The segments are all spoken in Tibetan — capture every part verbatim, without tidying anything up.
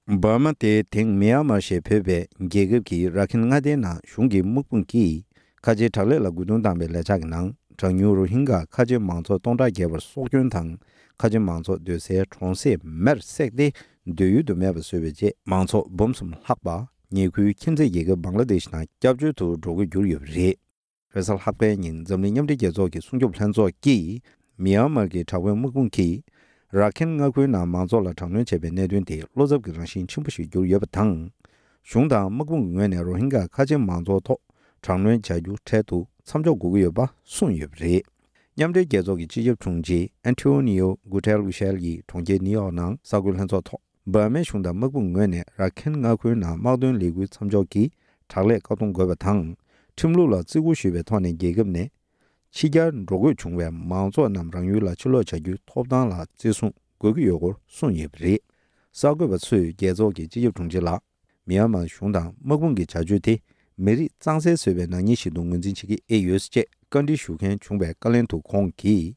འབར་མ་སྟེ་དེང་མི་ཡན་མར་ཞེས་འབོད་པའི་རྒྱལ་ཁབ་ཀྱི་ར་ཁིན་མངའ་སྡེའི་ནང་གཞུང་གི་དམག་དཔུང་གིས་ཁ་ཆེའི་དྲག་ལས་ལ་རྒོལ་རྡུང་བཏང་བའི་ལས་འཆར་གྱི་ནང་གྲངས་ཉུང་རོ་ཧིན་གྷ་ཁ་ཆེ་མང་ཚོགས་སྟོང་ཕྲག་བརྒལ་བར་སྲོག་སྐྱོན་དང་ཁ་ཆེ་མང་ཚོགས་སྡོད་སའི་གྲོང་གསེབ་མེར་བསྲེགས་ཏེ་སྡོད་ཡུལ་དུ་མེད་པ་བཟོས་པའི་རྗེས་མང་ཚོགས་འབུམ་གསུམ་ལྷག་པ་ཉེ་ཁུལ་ཁྱིམ་མཚེས་རྒྱལ་ཁབ་བང་ལ་དེཤ་ནང་སྐྱབས་བཅོལ་དུ་འགྲོ་དགོས་གྱུར་ཡོད་པ་རེད། རེས་གཟའ་ལྷག་པའི་ཉིན་འཛམ་གླིང་མཉམ་འབྲེལ་རྒྱལ་ཚོགས་ཀྱི་སྲུང་སྐྱོབ་ལྷན་ཚོགས་ཀྱིས་མི་ཡན་མར་གྱི་དྲག་པོའི་དམག་དཔུང་གིས་ར་ཁིན་མངའ་ཁུལ་ནང་མང་ཚོགས་ལ་དྲག་གནོན་བྱས་པའི་གནད་དོན་དེ་བློ་འཚབ་ཀྱི་རང་བཞིན་ཆེན་པོ་ཞིག་གྱུར་ཡོད་པ་དང་། གཞུང་དང་དམག་དཔུང་གི་ངོས་ནས་རོ་ཧིན་གྷ་ཁ་ཆེ་མང་ཚོགས་ཐོག་དྲག་གནོན་བྱ་རྒྱུ་འཕྲལ་དུ་མཚམས་འཇོག་དགོས་ཀྱི་ཡོད་པ་གསུངས་ཡོད་པ་རེད། མཉམ་འབྲེལ་རྒྱལ་ཚོགས་ཀྱི་སྤྱི་ཁྱབ་དྲུང་ཆེ་ཨན་ཊོ་ནི་ཡོ་གུ་ཏེ་རུ་ཤེལ་གྱིས་གྲོང་ཁྱེར་ནིའུ་ཡོག་ནང་གསར་འགོད་ལྷན་ཚོགས་ཐོག་འབར་མའི་གཞུང་དང་དམག་དཔུང་ངོས་ནས་ར་ཁིན་མངའ་ཁུལ་ནང་དམག་དོན་ལས་འགུལ་མཚམས་འཇོག་གིས་དྲག་ལས་བཀག་སྡོམ་དགོས་པ་དང་། ཁྲིམས་ལུགས་ལ་བརྩི་བཀུར་ཞུས་པའི་ཐོག་ནས་རྒྱལ་ཁབ་ནས་ཕྱི་གྱར་འགྲོ་དགོས་བྱུང་བའི་མང་ཚོགས་རྣམས་རང་ཡུལ་ལ་ཕྱིར་ལོག་བྱ་རྒྱུའི་ཐོབ་ཐང་ལ་བརྩི་སྲུང་དགོས་ཀྱི་ཡོད་སྐོར་གསུངས་ཡོད་པ་རེད། གསར་འགོད་པ་ཚོས་རྒྱལ་ཚོགས་ཀྱི་སྤྱི་ཁྱབ་དྲུང་ཆེ་ལ། མི་ཡན་མར་གཞུང་དང་དམག་དཔུང་གི་བྱ་སྤྱོད་དེ་མི་རིགས་གཙང་སེལ་བཟོས་པའི་ནག་ཉེས་ཤིག་ཏུ་ངོས་འཛིན་བྱེད་ཀྱི་ཨེ་ཡོད་ཅེས་བཀའ་འདྲི་ཞུ་མཁན་བྱུང་བའི་བཀའ་ལན་དུ་ཁོང་གིས།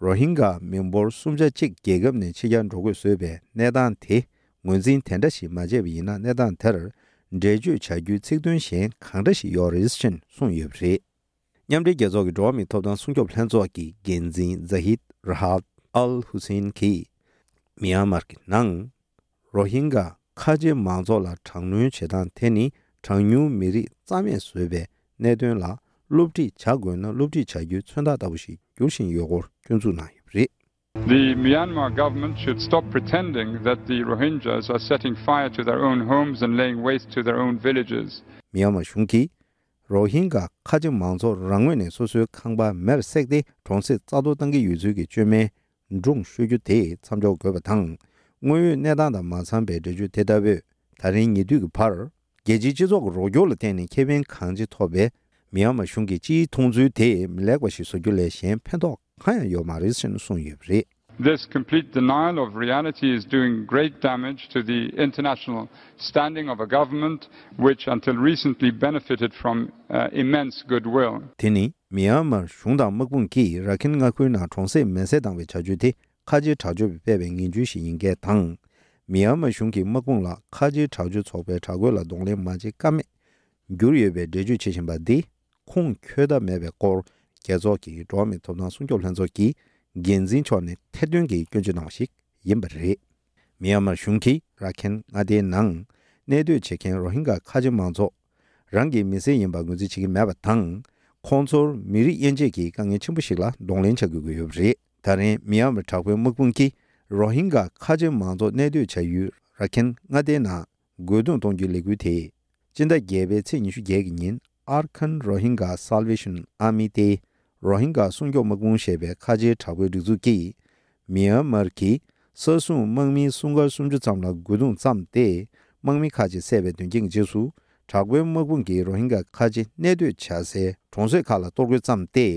རོ་ཧིན་གྷ་མི་འབོར་གསུམ་ཆ་གཅིག་རྒྱལ་ཁབ་ནས་ཕྱི་གྱར་འགྲོ་དགོས་བཟོས་པའི་གནས་སྟངས་དེ་ངོས་འཛིན་དེ་འདྲ་ཞིག་མ་བྱས་པ་ཡིན་ན་གནས་སྟངས་དེར་འགྲེལ་བརྗོད་བྱ་རྒྱུའི་ཚིག་དོན་གཞན་གང་འདྲ་ཞིག་ཡོད་རེད་ཅེས་གསུངས་ཡོད་པ་རེད། མཉམ་འབྲེལ་རྒྱལ་ཚོགས་ཀྱི་འགྲོ་བ་མིའི་ཐོབ་ཐང་སྲུང་སྐྱོབ་ལྷན་ཚོགས་ཀྱི་འགན་འཛིན་ཛ་ཧིད་ར་ཧད་ཨལ་ཧུ་སེན་གྱིས། མི་ཡན་མར་གྱི་ནང་རོ་ཧིན་གྷ་ཁ་ཆེ་མང་ཚོགས་ལ་དྲག་གནོན་བྱེད་སྟངས་དེ་ནི་གྲངས་ཉུང་མི་རིགས་རྩ་མེད་བཟོས་པའི་གནད་དོན་ལ་སློབ་ཁྲིད་བྱ་དགོས་ན་སློབ་ཁྲིད་བྱ་རྒྱུའི་མཚོན་རྟགས་ལྟ་བུ་ཞིག་འགྱུར་བཞིན་ཡོད་སྐོར་སྐྱོན་འཛུགས་གནང་ཡོད་པ་རེད། The Myanmar government should stop pretending that the Rohingyas are setting fire to their own homes and laying waste to their own villages. མི་ཡན་མར་གཞུང་གིས་རོ་ཧིན་གྷ་ཁ་ཆེ་མང་ཚོགས་རང་ངོས་ནས་སོ་སོའི་ཁང་པ་མེར་བསྲེགས་ཏེ་གྲོང་གསེབ་རྩ་གཏོར་བཏང་གི་ཡོད་ཚུལ་གྱི་བཅོས་མའི་སྒྲུང་ཤོད་རྒྱུ་དེ་མཚམས་འཇོག་དགོས་པ་དང་། དངོས་ཡོད་གནས་སྟངས་དང་མ་འཚམས་པའི་འགྲེལ་བརྗོད་དེ་ལྟ་བུས་ད་རིང་ཉེ་དུས་ཀྱི་བར། རྒྱལ་སྤྱིའི་སྤྱི་ཚོགས་ཀྱི་རོགས་སྐྱོར་ལ་བརྟེན་ནས་ཁེ་ཕན་གང་ཆེ་ཐོབ་པའི་མི་ཡན་མར་གཞུང་གི་སྤྱིའི་མཐོང་ཚུལ་དེ་མི་ལེགས་པ་ཞིག་བཟོ་རྒྱུ་ལས་གཞན་ཕན་ཐོགས་གང་ཡང་ཡོད་མ་རེད་ཅེས་གསུངས་ཡོད་པ་རེད། This complete denial of reality is doing great damage to the international standing of a government which, until recently, benefited from uh, immense goodwill. དེ་ནི་མི་ཡན་མར་གཞུང་དང་དམག་དཔུང་གིས་ར་ཁིན་མངའ་ཁུལ་ནང་གྲོང་གསེབ་མེ་བསྲེགས་བཏང་བའི་བྱ་སྤྱོད་དེ་ཁ་ཆེའི་དྲག་སྤྱོད་པས་སྤེལ་བའི་ངན་ཇུས་ཤིག་ཡིན་སྐད་དང་། མི་ཡན་མར་གཞུང་གིས་དམག་དཔུང་ལ་ཁ་ཆེའི་དྲག་སྤྱོད་ཚོགས་པའི་དྲག་རྒོལ་ལ་གདོང་ལེན་མ་བྱེད་ཀ་མེད་གྱུར་ཡོད་པའི་འགྲེལ་བརྗོད་བྱེད་བཞིན་པ་འདི་ཁུངས་འཁྱོལ་ཐབས་མེད་པའི་སྐོར་རྒྱལ་ཚོགས་ཀྱི་འགྲོ་བ་མིའི་ཐོབ་ཐང་སྲུང་སྐྱོབ་ལྷན་ཚོགས་ཀྱི་འགན་འཛིན་མཆོག་ནས་ཐེར་འདོན་གྱིས་སྐྱོན་བརྗོད་གནང་བ་ཞིག་ཡིན་པ་རེད། མི་ཡན་མར་གཞུང་གིས་ར་ཁེན་མངའ་སྡེའི་ནང་གནས་སྡོད་བྱེད་མཁན་རོ་ཧིན་གྷ་ཁ་ཆེ་མང་ཚོགས་རང་གི་མི་སེར་ཡིན་པར་ངོས་འཛིན་བྱེད་ཀྱི་མེད་པ་དང་། ཁོང་ཚོར་མི་རིགས་དབྱེ་འབྱེད་ཀྱི་དཀའ་ངལ་ཆེན་པོ་ཞིག་ལ་གདོང་ལེན་བྱ་དགོས་ཀྱི་ཡོད་པ་རེད། ད་རིང་མི་ཡན་མར་དྲག་པོའི་དམག་དཔུང་གིས་རོ་ཧིན་གྷ་ཁ་ཆེ་མང་ཚོགས་གནས་སྡོད་བྱ་ཡུལ་ར་ཁེན་མངའ་སྡེའི་ནང་རྒོལ་རྡུང་གཏོང་རྒྱུའི་ལས་འགུལ་དེ། སྤྱི་ཟླ་བརྒྱད་པའི་ཚེས་ཉི་ཤུ་བརྒྱད་ཀྱི་ཉིན་Arakan Rohingya Salvation Army སྟེ། རོ་ཧིན་གྷ་སྲུང་སྐྱོབ་དམག་དཔུང་ཞེས་པའི་ཁ་ཆེའི་དྲག་པོའི་སྒྲིག་འཛུགས་ཀྱིས། མི་ཡན་མར་གྱི་ས་སྲུང་དམག་མིའི་སྲུང་སྐར་སུམ་ཅུ་ཙམ་ལ་རྒོལ་རྡུང་བརྩམས་ཏེ། དམག་མི་ཁག་ཅིག་བསད་པའི་དོན་རྐྱེན་གྱི་རྗེས་སུ། དྲག་པོའི་དམག་དཔུང་གིས་རོ་ཧིན་གྷ་ཁ་ཆེ་གནས་སྡོད་བྱ་སའི་གྲོང་གསེབ་ཁག་ལ་གཏོར་རྒོལ་བརྩམས་ཏེ།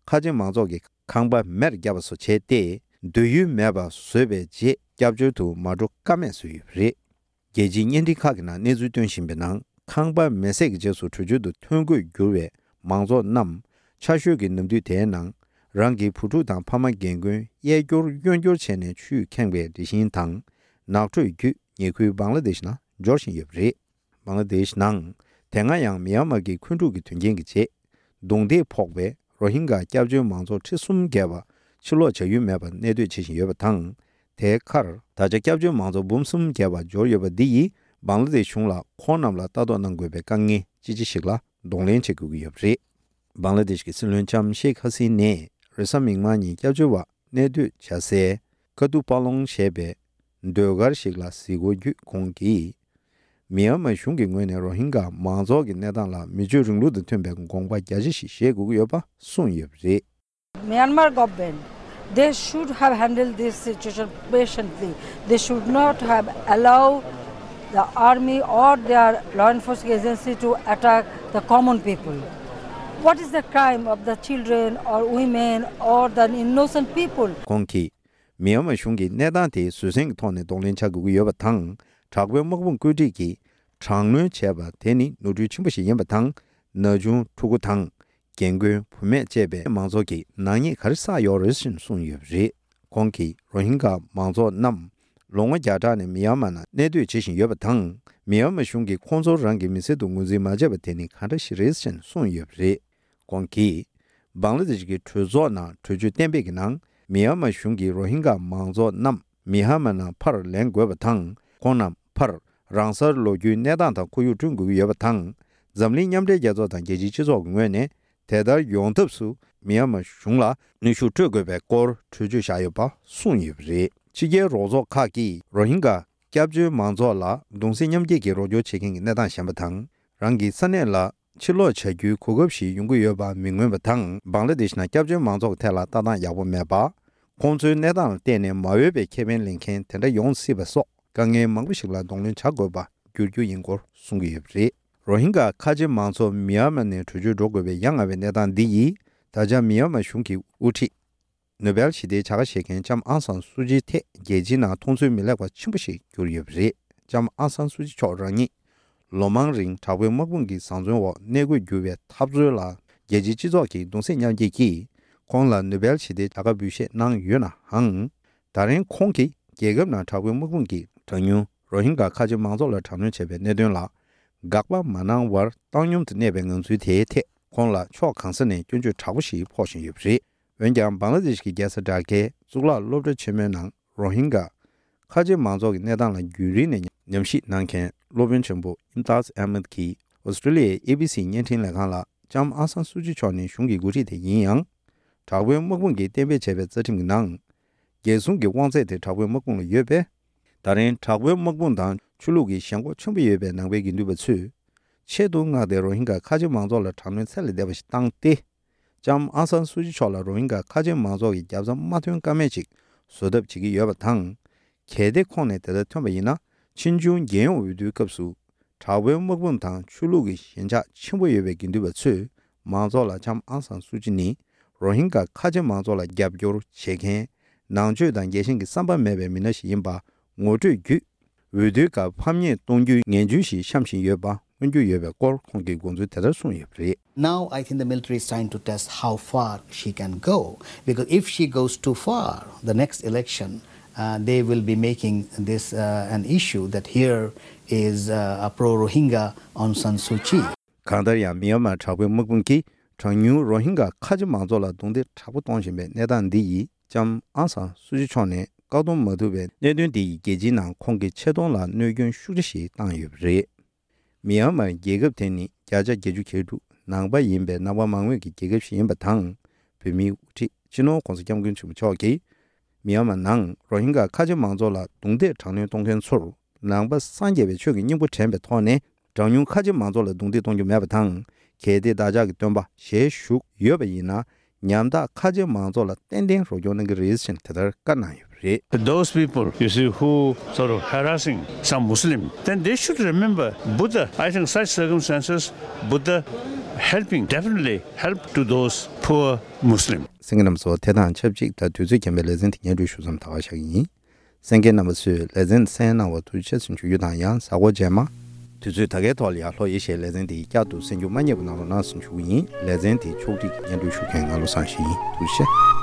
ཁ་ཆེ་མང་ཚོགས་ཀྱི་ཁང་པ་མེར་བརྒྱབ་པ་སོགས་བྱས་ཏེ། སྡོད་ཡུལ་མེད་པ་བཟོས་པའི་རྗེས་སྐྱབས་བཅོལ་དུ་མ་འགྲོ་ཀ་མེད་བཟོས་ཡོད་པ་རེད། རྒྱལ་སྤྱིའི་བརྙན་འཕྲིན་ཁག་གི་ནང་གནས་ཚུལ་སྟོན་བཞིན་པའི་ནང་། ཁང་པ་མེ་བསྲེགས་ཀྱི་རྗེས་སུ་བྲོས་བྱོལ་དུ་ཐོན་དགོས་གྱུར་བའི་མང་ཚོགས་རྣམས་ཆར་ཞོད་ཀྱི་ནམ་དུས་དེའི་ནང་། རང་གི་བུ་ཕྲུག་དང་ཕ་མ་རྒན་རྒོན་གཡས་སྐྱོར་གཡོན་སྐྱོར་བྱས་ནས་ཆུས་ཁེངས་པའི་རི་ཤིང་དང་། ནགས་ཁྲོད་བརྒྱུད་ཉེ་ཁུལ་བང་ལ་དེཤ་ནང་འབྱོར་བཞིན་ཡོད་པ་རེད། བང་ལ་དེཤ་ནང་། དེ་སྔ་ཡང་མི་ཡན་མར་གྱི་འཁོན་འཁྲུག་གི་དོན་རྐྱེན་གྱི་རྗེས། རྡུང་རྡེག་ཕོག་པའི་རོ་ཧིན་གྷ་སྐྱབས་བཅོལ་མང་ཚོགས་ཁྲི་གསུམ་བརྒལ་བ་ཕྱིར་ལོག་བྱ་ཡུལ་མེད་པར་གནས་སྡོད་བྱེད་བཞིན་ཡོད་པ་དང་། དེའི་ཁར་ད་ཆ་སྐྱབས་བཅོལ་མང་ཚོགས་འབུམ་གསུམ་བརྒལ་བ་འབྱོར་ཡོད་པ་འདི་ཡིས་བང་ལ་དེཤ་གཞུང་ལ་ཁོང་རྣམས་ལ་ལྟ་རྟོག་གནང་དགོས་པའི་དཀའ་ངལ་ཅི་ཆེ་ཞིག་ལ་གདོང་ལེན་བྱེད་དགོས་ཀྱི་ཡོད་པ་རེད། བང་ལ་དེཤ་གི་སྲིད་བློན་ལྕམ་ཤེག་ཧ་སི་ནས་རེས་གཟའ་མིག་དམར་ཉིན་སྐྱབས་བཅོལ་བ་གནས་སྡོད་བྱ་སའི་ཀ་ཏུ་པ་ལོང་ཞེས་པའི་ཟློས་གར་ཞིག་ལ་གཟིགས་སྐོར་བརྒྱུད་ཁོང་གིས། མི་ཡན་མར་གཞུང་གི་ངོས་ནས་རོ་ཧིན་གྷ་མང་ཚོགས་ཀྱི་གནས་སྟངས་ལ་མི་ཆོས་རིང་ལུགས་དང་མཐུན་པའི་དགོངས་པ་རྒྱ་ཆེ་ཞིག་བཞེས་དགོས་ཀྱི་ཡོད་པ་གསུངས་ཡོད་པ་རེད། Myanmar government, they should have handled this situation patiently. They should not have allowed the army or their law enforcement agency to attack the common people. What is the crime of the children or women or the innocent people? ཁོང་གིས། མི་ཡན་མར་གཞུང་གིས་གནས་སྟངས་དེའི་བཟོད་བསྲན་གྱི་ཐོག་ནས་གདོང་ལེན་བྱ་དགོས་ཀྱི་ཡོད་པ་དང་། དྲག་པོའི་དམག་དཔུང་བཀོད་སྒྲིག་གིས་དྲག་གནོན་བྱས་པ་དེ་ནི་ནོར་འཁྲུལ་ཆེན་པོ་ཞིག་ཡིན་པ་དང་། ན་ཆུང་ཕྲུ་གུ་དང་། རྒན་རྒོན་བུད་མེད་བཅས་པའི་མང་ཚོགས་ཀྱིས་ནག་ཉེས་ག་རེ་བསགས་ཡོད་རེད་ཅེས་གསུངས་ཡོད་པ་རེད། ཁོང་གིས་རོ་ཧིན་གྷ་མང་ཚོགས་རྣམས་ ལོ་ངོ་བརྒྱ་ཕྲག་ནས་མི་ཡན་མ་ནང་གནས་སྡོད་བྱེད་བཞིན་ཡོད་པ་དང་། མི་ཡན་མ་གཞུང་གིས་ཁོང་ཚོ་རང་གི་མི་སེར་དུ་ངོས་འཛིན་མ་བྱས་པ་དེ་ནི་གང་འདྲ་ཞིག་རེད་ཅེས་གསུངས་ཡོད་པ་རེད། ཁོང་གིས། བང་ལ་དེ་ཤི་གི་གྲོས་ཚོགས་ནང་གྲོས་ཆོད་གཏན་འབེབས་ཀྱི་ནང་། མི་ཡན་མ་གཞུང་གིས་རོ་ཧིན་གྷ་མང་ཚོགས་རྣམས་མི་ཡན་མ་ནང་ཕར་ལེན་དགོས་པ་དང་། ཁོང་རྣམས་ཕར་རང་སར་ལོག་རྒྱུའི་གནས་སྟངས་དང་ཁོར་ཡུག་བསྐྲུན་དགོས་ཀྱི་ཡོད་པ་དང་། འཛམ་གླིང་མཉམ་འབྲེལ་རྒྱལ་ཚོགས་དང་རྒྱལ་སྤྱིའི་སྤྱི་ཚོགས་ཀྱི་ངོས་ནས་དེ་ལྟར་ཡོང་ཐབས་སུ་མི་ཡན་མ་གཞུང་ལ་གནོན་ཤུགས་སྤྲོད་དགོས་པའི་སྐོར་གྲོས་ཆོད་བཞག་ཡོད་པ་གསུངས་ཡོད་པ་རེད། ཕྱི་རྒྱལ་རོགས་ཚོགས་ཁག་གིས་རོ་ཧིན་གྷ་སྐྱབས་བཅོལ་མང་ཚོགས་ལ་གདུང་སེམས་མཉམ་སྐྱེད་ཀྱི་རོགས་སྐྱོར་བྱེད་མཁན་གྱི་གནས་སྟངས་ཞན་པ་དང་། རང་གི་ས་གནས་ལ་ཕྱིར་ལོག་བྱ་རྒྱུའི་གོ་སྐབས་ཤིག་ཡོང་གི་ཡོད་པ་མི་མངོན་པ་དང་། བང་ལ་དེ་ཤི་ནང་སྐྱབས་བཅོལ་མང་ཚོགས་ཀྱི་ཐད་ལ་ལྟ་སྟངས་ཡག་པོ་མེད་པ། ཁོང་ཚོའི་གནས་སྟངས་ལ་བལྟས་ནས་མ་འོས་པའི་ཁེ་ཕན་ལེན་མཁན་དེ་འདྲ་ཡོང་སྲིད་པ་སོགས་དཀའ་ངལ་མང་པོ་ཞིག་ལ་གདོང་ལེན་བྱ་དགོས་པ་འགྱུར་རྒྱུ་ཡིན་སྐོར་གསུང་གི་ཡོད་པ་རེད། རོ་ཧིན་གྷ་ཁ་ཆེ་མང་ཚོགས་མི་ཡན་མ་ནས་བྲོས་བྱོལ་འགྲོ་དགོས་པའི་ཡ་ང་བའི་གནས་སྟངས་འདི་ཡིས། ད་ཆ་མི་ཡན་མ་གཞུང་གིས་དབུ་ཁྲིད། ནོ་བེལ་ཞི་བདེའི་བྱ་དགའ་བཞེས་མཁན་ལྕམ་ཨང་སང་སུ་ཅིའི་ཐད་རྒྱལ་སྤྱིའི་ནང་མཐོང་ཚུལ་མི་ལེགས་པ་ཆེན་པོ་ཞིག་གྱུར་ཡོད་པ་རེད། ལྕམ་ཨང་སང་སུ་ཅི་མཆོག་རང་ཉིད་ལོ་མང་རིང་དྲག་པོའི་དམག་དཔུང་གི་བཟང་བཙོན་འོག་གནས་དགོས་གྱུར་བའི་འཐབ་རྩོད་ལ་རྒྱལ་སྤྱིའི་སྤྱི་ཚོགས་ཀྱིས་གདུང་སེམས་མཉམ་སྐྱེད་ཀྱིས་ཁོང་ལ་ནོ་བེལ་ཞི་བདེའི་བྱ་དགའ་འབུལ་བཞེས་གནང་ཡོད་ནའང་། ད་རིང་ཁོང་གིས་རྒྱལ་ཁབ་ནང་དྲག་པོའི་དམག་དཔུང་གིས་གྲངས་ཉུང་རོ་ཧིན་གྷ་ཁ་ཆེ་མང་ཚོགས་ལ་དྲག་གནོན་བྱས་པའི་གནད་དོན་ལ་དགག་པ་མ་གནང་བར་བཏང་སྙོམས་དུ་གནས་པའི་ངང་ཚུལ་དེའི་ཐད་ཁོང་ལ་ཕྱོགས་གང་ས་ནས་སྐྱོན་བརྗོད་དྲག་པོ་ཞིག་ཕོག་བཞིན་ཡོད་པ་རེད། འོན་ཀྱང་། བང་ལ་དེ་ཤི་གི་རྒྱལ་ས་ཌ་ཀའི་གཙུག་ལག་སློབ་གྲྭ་ཆེན་མོའི་ནང་རོ་ཧིན་གྷ་ཁ་ཆེ་མང་ཚོགས་ཀྱི་གནས་སྟངས་ལ་རྒྱུན་རིང་ནས་ཉམས་ཞིབ་གནང་མཁན་སློབ་དཔོན་ཆེན་པོ་ཨིམ་ཏཱཛ་ཨེ་མད་ཀྱིས་ཨོ་སི་ཀྲི་ལི་ཡའི་ཨེ་བི་སི་བརྙན་འཕྲིན་ལས་ཁང་ལ། ལྕམ་ཨང་སང་སུ་ཅི་མཆོག་ནི་གཞུང་གི་འགོ་ཁྲིད་དེ་ཡིན་ཡང་། དྲག་པོའི་དམག་དཔུང་གིས་གཏན་འབེབས་བྱས་པའི་རྩ་ཁྲིམས་ཀྱི་ནང་། རྒྱལ་སྲུང་གི་དབང་ཚད་དེ་དྲག་པོའི་དམག་དཔུང་ལ་ཡོད་པས། ད་རིང་དྲག་པོའི་དམག་དཔུང་དང་ཆོས་ལུགས་ཀྱི་ཞེན་ཁོག་ཆེན་པོ་ཡོད་པའི་ནང་པའི་དགེ་འདུན་པ་ཚོས། ཆེད་དུ་མངགས་ཏེ་རོ་ཧིན་གྷ་ཁ་ཆེ་མང་ཚོགས་ལ་དྲག་གནོན་ཚད་ལས་འདས་པ་ཞིག་བཏང་སྟེ། ལྕམ་ཨང་སང་སུ་ཅི་མཆོག་ལ་རོ་ཧིན་གྷ་ཁ་ཆེ་མང་ཚོགས་ཀྱི་རྒྱབ་རྩ་མ་ཐོན་ཀ་མེད་ཅིག་བཟོ་ཐབས་བྱེད་ཀྱི་ཡོད་པ་དང་། གལ་ཏེ་ཁོང་ནས་དེ་ལྟར་ཐོན་པ་ཡིན་ན། ཕྱིས་འབྱུང་རྒྱལ་ཡོངས་འོས་བསྡུའི་སྐབས་སུ། དྲག་པོའི་དམག་དཔུང་དང་ཆོས་ལུགས་ཀྱི་ཞེན་ཆགས་ཆེན་པོ་ཡོད་པའི་དགེ་འདུན་པ་ཚོས་མང་ཚོགས་ལ་ལྕམ་ཨང་སང་སུ་ཅི་ནི་རོ་ཧིན་གྷ་ཁ་ཆེ་མང་ཚོགས་ལ་རྒྱབ་སྐྱོར་བྱེད་མཁན། ནང་ཆོས་དང་རྒྱལ་ཞེན་གྱི་བསམ་པ་མེད་པའི་མི་སྣ་ཞིག་ཡིན་པ་ངོ་སྤྲོད་བརྒྱུད། འོས་བསྡུའི་སྐབས་ཕམ་ཉེས་གཏོང་རྒྱུའི་ངན་ཇུས་ཤིག་བཤམས་བཞིན་ཡོད་པ་མངོན་གྱུར་ཡོད་པའི་སྐོར་ཁོང་གིས་དགོངས་ཚུལ་དེ་ལྟར་གསུངས་ཡོད་པ་རེད། Now, I think the military is trying to test how far she can go, because if she goes too far, the next election, uh, they will be making this, uh, an issue that here is, uh, a pro-Rohingya Aung San Suu Kyi. གང་ལྟར་ཡང་། མི་ཡན་མར་དྲག་པོའི་དམག་དཔུང་གིས་གྲངས་ཉུང་རོ་ཧིན་གྷ་ཁ་ཆེ་མང་ཚོགས་ལ་རྡུང་རྡེག་དྲག་པོ་གཏོང་བཞིན་པའི་གནས་སྟངས་འདི་ཡིས། ལྕམ་ཨང་སང་སུ་ཅི་མཆོག་ནས་བཀག་སྡོམ་མ་ཐུབ་པའི་གནད་དོན་འདི་ཡིས་རྒྱལ་སྤྱིའི་ནང་ཁོང་གི་ཆེ་མཐོང་ལ་གནོད་སྐྱོན་ཤུགས་ཆེ་ཞིག་བཏང་ཡོད་པ་རེད། མི་ཡན་མར་རྒྱལ་ཁབ་དེ་ནི་བརྒྱ་ཆ་བརྒྱད་ཅུ་གྱ་དྲུག་ནང་པ་ཡིན་པའི་ནང་པ་མང་མོས་ཀྱི་རྒྱལ་ཁབ་ཞིག་ཡིན་པ་དང་། བོད་མིའི་དབུ་ཁྲིད་སྤྱི་ནོར་༧གོང་ས་༧སྐྱབས་མགོན་ཆེན་པོ་མཆོག་གིས། མི་ཡན་མར་ནང་རོ་ཧིན་གྷ་ཁ་ཆེ་མང་ཚོགས་ལ་རྡུང་རྡེག་དྲག་གནོན་གཏོང་མཁན་ཚོར། ནང་པ་སངས་རྒྱས་པའི་ཆོས་ཀྱི་སྙིང་པོ་དྲན་པའི་ཐོག་ནས། གྲངས་ཉུང་ཁ་ཆེ་མང་ཚོགས་ལ་རྡུང་རྡེག་གཏོང་རྒྱུ་མེད་པ་དང་། གལ་ཏེ་བདག་ཅག་གི་སྟོན་པ་ཞལ་བཞུགས་ཡོད་པ་ཡིན་ན། ཉམ་ཐག་ཁ་ཆེ་མང་ཚོགས་ལ་ཏན་ཏན་རོགས་སྐྱོར་གནང་གི་རེད་ཅེས་དེ་ལྟར་བཀའ་གནང་ཡོད་པ་རེད། Those people, you see, who sort of harassing some Muslim, then they should remember Buddha. I think such circumstances, Buddha helping, definitely help to those poor Muslim. གསན་མཁན་རྣམ་པ་ཚོ། དེ་དང་ཆབས་ཅིག་ད་དུས་ཚོད་རྐྱེན་པས་ལེ་ཚན་དེ་སྙན་སྒྲོན་ཞུ་མཚམས་ད་ག་བཞག་གི་ཡིན། གསན་མཁན་རྣམ་པ་ཚོས་ལེ་ཚན་གསན་གནང་བར་ཐུགས་རྗེ་ཆེ་ཞུ་རྒྱུ་དང་། ཡང་གཟའ་འཁོར་རྗེས་མ། དུས་ཚོད་ད་གའི་ཐོག་ལ་ཡང་ལྷོ་ཨེ་ཤི་ཡའི་ལེ་ཚན་དེ་བསྐྱར་དུ་གསན་རྒྱུ་མ་བསྙེལ་བ་གནང་རོགས་གནང་ཞེས་ཞུ་གི་ཡིན། ལེ་ཚན་དེ་ཕྱོགས་སྒྲིག་གིས་སྙན་སྒྲོན་ཞུ་མཁན་ང་བློ་བཟང་ཞིག་ཡིན། ཐུགས་རྗེ་ཆེ།